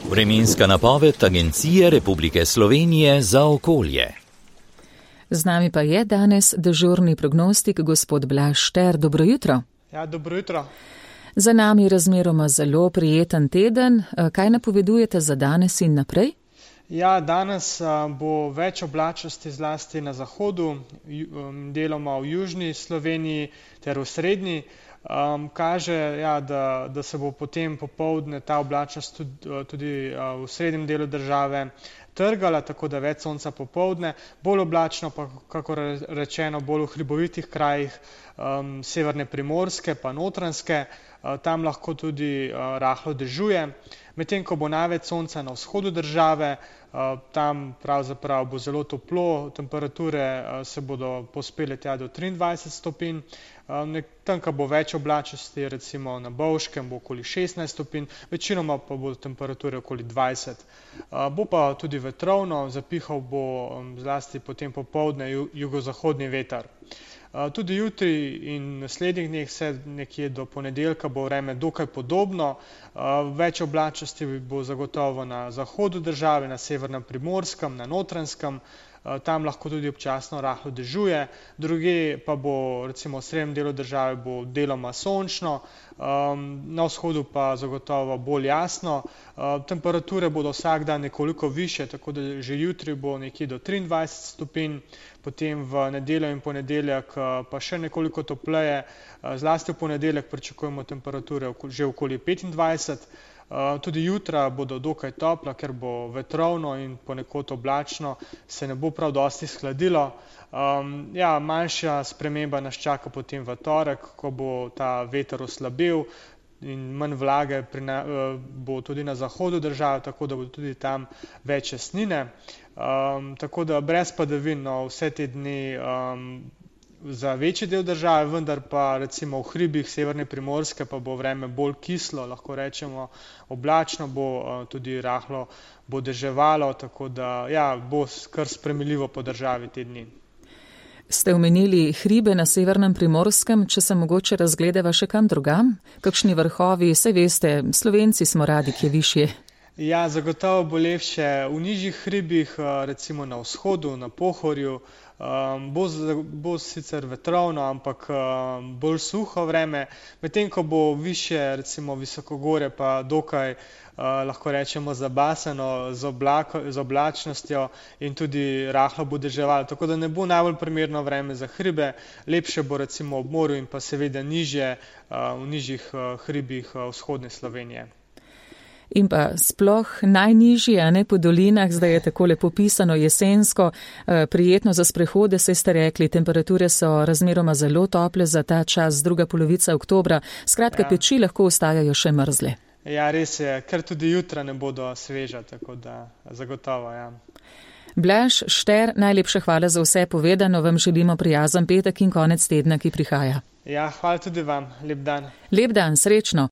Vremenska napoved Agencije Republike Slovenije za okolje. Z nami pa je danes dežurni prognostik gospod Blaž Šter. Dobro jutro. Ja, dobro jutro. Za nami razmeroma zelo prijeten teden. Kaj napovedujete za danes in naprej? Ja, danes bo več oblačnosti zlasti na zahodu, deloma v južni Sloveniji ter v srednji. Kaže, ja, da se bo potem popoldne ta oblačnost tudi v srednjem delu države trgala, tako da več sonca popoldne, bolj oblačno pa, kakor rečeno, bolj v hribovitih krajih severne Primorske pa Notranjske, tam lahko tudi rahlo dežuje. Medtem ko bo največ sonca na vzhodu države, tam pravzaprav bo zelo toplo, temperature se bodo povzpele tja do 23 stopinj, tam, ko bo več oblačnosti, recimo na Bovškem, bo okoli 16 stopinj, večinoma pa bodo temperature okoli 20. Bo pa tudi vetrovno, zapihal bo zlasti potem popoldne jugozahodni veter. Tudi jutri in naslednjih dneh, vse nekje do ponedeljka, bo vreme dokaj podobno. Več oblačnosti bo zagotovo na zahodu države, na severnem Primorskem, na Notranjskem, tam lahko tudi občasno rahlo dežuje, drugje pa bo recimo v srednjem delu države bo deloma sončno, na vzhodu pa zagotovo bolj jasno. Temperature bodo vsak dan nekoliko više, tako da že jutri bo nekje do 23 stopinj, potem v nedeljo in ponedeljek pa še nekoliko topleje, zlasti v ponedeljek pričakujemo temperature že okoli 25. Tudi jutra bodo dokaj topla, ker bo vetrovno in ponekod oblačno, se ne bo prav dosti shladilo. Ja, manjša sprememba nas čaka potem v torek, ko bo ta veter oslabel in manj vlage bo tudi na zahodu države, tako da bo tudi tam več jasnine. Tako da brez padavin vse te dni za večji del države, vendar pa recimo v hribih severne Primorske pa bo vreme bolj kislo, lahko rečemo oblačno, bo tudi rahlo bo deževalo, tako da ja, bo kar sprejemljivo po državi te dni. Ste omenili hribe na severnem Primorskem, če se mogoče razgledava še kam drugam? Kakšni vrhovi, saj veste, Slovenci smo radi, kje višje. Ja, zagotovo bo lepše v nižjih hribih, recimo na vzhodu, na Pohorju. Bo sicer vetrovno, ampak bolj suho vreme, medtem ko bo višje, recimo visokogorje, pa dokaj, lahko rečemo, zabasano z oblačnostjo in tudi rahlo bo deževalo, tako da ne bo najbolj primerno vreme za hribe, lepše bo recimo ob morju in pa seveda nižje, v nižjih hribih vzhodne Slovenije. In pa sploh najnižji, a ne po dolinah, zdaj je tako lepo pisano jesensko, prijetno za sprehode, saj ste rekli, temperature so razmeroma zelo tople za ta čas, druga polovica oktobra, skratka ja. Peči lahko ostajajo še mrzle. Ja, res je, ker tudi jutra ne bodo sveža, tako da zagotovo, ja. Blaž Šter, najlepša hvala za vse povedano, vam želimo prijazen petek in konec tedna, ki prihaja. Ja, hvala tudi vam, lep dan. Lep dan, srečno.